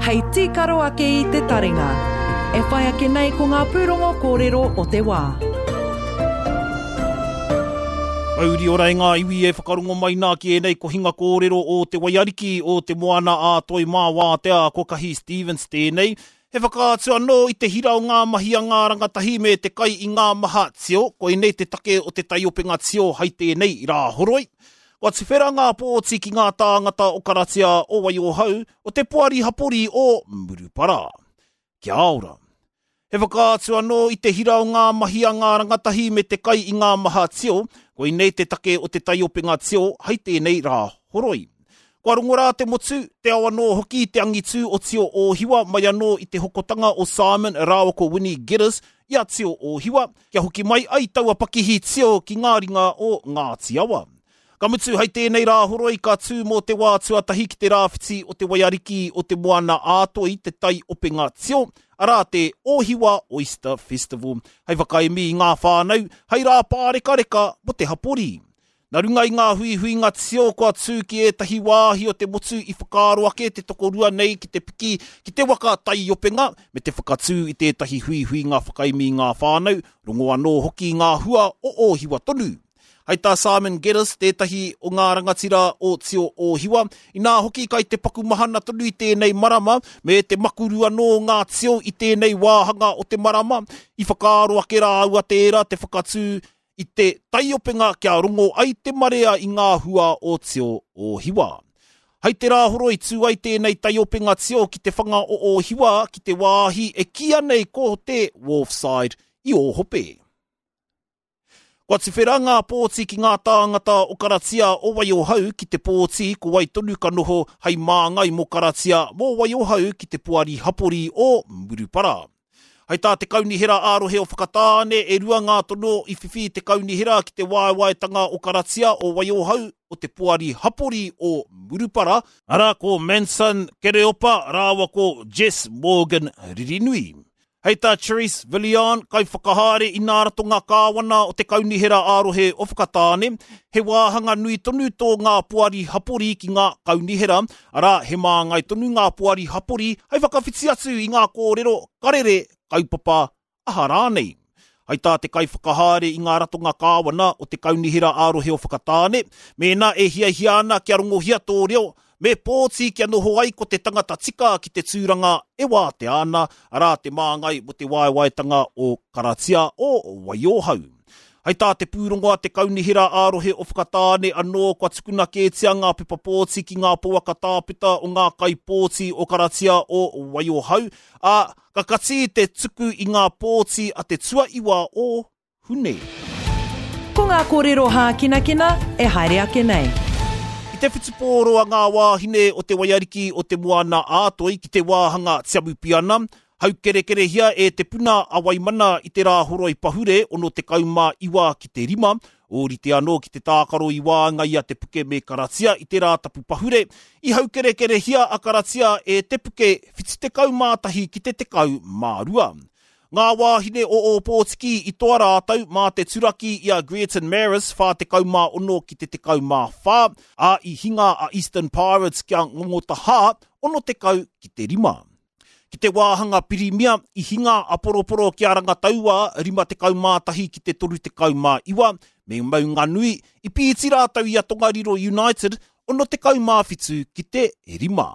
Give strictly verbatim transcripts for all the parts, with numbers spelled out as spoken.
Hei tīkaro ake i te taringa. E whai ake nei ko ngā pūrongo kōrero o te wā. Mauri ora e ngā iwi e whakarongo mai nā ki ēnei kohinga kōrero o te Waiariki o te Moana a Toi Mā Wātea ko Kahi Stevens tēnei. He whakaatu anō i te hira o ngā mahi a ngā rangatahi me te kai i ngā maha tio, koinei te take o te taiopenga tio hai tēnei rā horoi. Kua tuwhera ngā pōti ki ngā tāngata o Karatia o Waiohau o te poari hapori o Murupara. Kia ora. He whakaatu anō i te hira o ngā mahi a ngā rangatahi me te kai i ngā maha tio, koinei te take o te taiopenga tio hai tēnei rā horoi. Kua rongo rā te motu, te ao anō hoki te angitū o Tio Ōhiwa mai anō i te hokotanga o Simon rāua ko Winnie Geddes i a Tio Ōhiwa, kia hoki mai ai taua pakihi tio ki ngā ringa o Ngāti Awa. Ka mutu hai tēnei rā horoi ka tū mō te wā tuatahi ki te rāwhiti o te Waiariki o te Moana ā-Toi te taiopenga tio, arā te Ōhiwa Oyster Festival, hei whakaemi i ngā whānau, hei rā pārekareka mō te hapori. Nā runga i ngā huihuinga tio kua tū ki ētahi wāhi o te motu i whakaaro ake te tokorua nei ki te piki ki te waka taiopenga me te whakatū i tētahi huihuinga whakaemi i ngā whānau, rongo anō hoki ngā hua o Ōhiwa tonu. Hai tā Simon Geddes, tētahi o ngā rangatira o Tio Ōhiwa, inā hoki kai te paku mahana tonu i tēnei marama, me te makuru anō ngā tio i tēnei wāhanga o te marama, i whakaaro ake rāua tērā te whakatū i te taiopenga kia rongo ai te marea i ngā hua o Tio Ōhiwa. Hai te rā horoi tū ai tēnei taiopenga tio ki te whanga o Ōhiwa ki te wāhi e kīia nei ko te Wharfside i Ōhope. Kua tuwhera ngā pōti ki ngā tāngata o Karatia o Waiohau ki te pōti ko wai tonu ka noho hei māngai mō Karatia mō Waiohau ki te poari hapori o Murupara. Hai tā te kaunihera ā-rohe o Whakatāne e rua ngā tono i whiwhi te kaunihera ki te waewaetanga o Karatia o Waiohau o te poari hapori o Murupara, arā ko Manson Kereopa rāua ko Jess Morgan Ririnui. Hei tā Cherise Villion, kaiwhakahaere i nā ratonga kāwana o te kaunihera ā-rohe o Whakatāne, he wāhanga nui tonu tō ngā poari hapori ki ngā kaunihera, arā he māngai tonu ngā poari hapori hei whakawhiti atu i ngā kōrero karere kaupapa aha rānei. Hai tā te kaiwhakahaere i ngā ratonga kāwana o te kaunihera ā-rohe o Whakatāne, mēnā e hiahia ana kia rongohia tō reo, me pōti kia noho ai ko te tangata tika ki te tūranga e wātea ana, arā te māngai mō te waewaetanga o Karatia o Waiohau. Hai tā te pūrongo a te kaunihera ā-rohe o Whakatāne anō kua tukuna kētia ngā pepa pōti ki ngā pouaka tāpeta o ngā kaipōti o Karatia o Waiohau, ā, ka kati te tuku i ngā pōti a te tuaiwa o Hune. Ko ngā kōrero hākinakina e haere ake nei. I te whutupōro a ngā wāhine o te Waiariki o te Moana ā-Toi ki te wāhanga Tiamupiana, haukerekerehia e te puna a Waimana i te rā horoi pahure ono tekau mā iwa ki te rima, ōrite anō ki te tākaro i waenga i a Te Puke me Karatia i te rā tapu pahure, i haukerekerehia a Karatia e Te Puke whitu tekau mā tahi ki te tekau mā rua. Ngā wāhine o Ōpōtiki i toa rātou mā te turaki i a Greerton Maris whā tekau mā ono ki te tekau mā whā, ā i hinga a Eastern Pirates kia ngongotahā ono tekau ki te rima. Ki te wāhanga pirimia, i hinga a Poroporo ki a Rangataua rima tekau mā tahi ki te toru tekau mā iwa, me Maunganui, i pīti rātou i a Tongariro United ono tekau mā whitu ki te rima.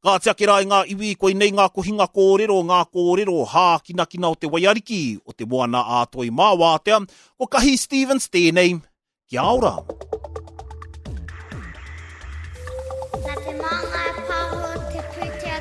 Ka ake rā i ngā iwi, koinei ngā kohinga kōrero, ngā kōrero hākinakina o te Waiariki, o te Moana ā-Toi mā Wātea, ko Kahi Stevens tēnei, kia ora. Nā te māngai pāho te pūtea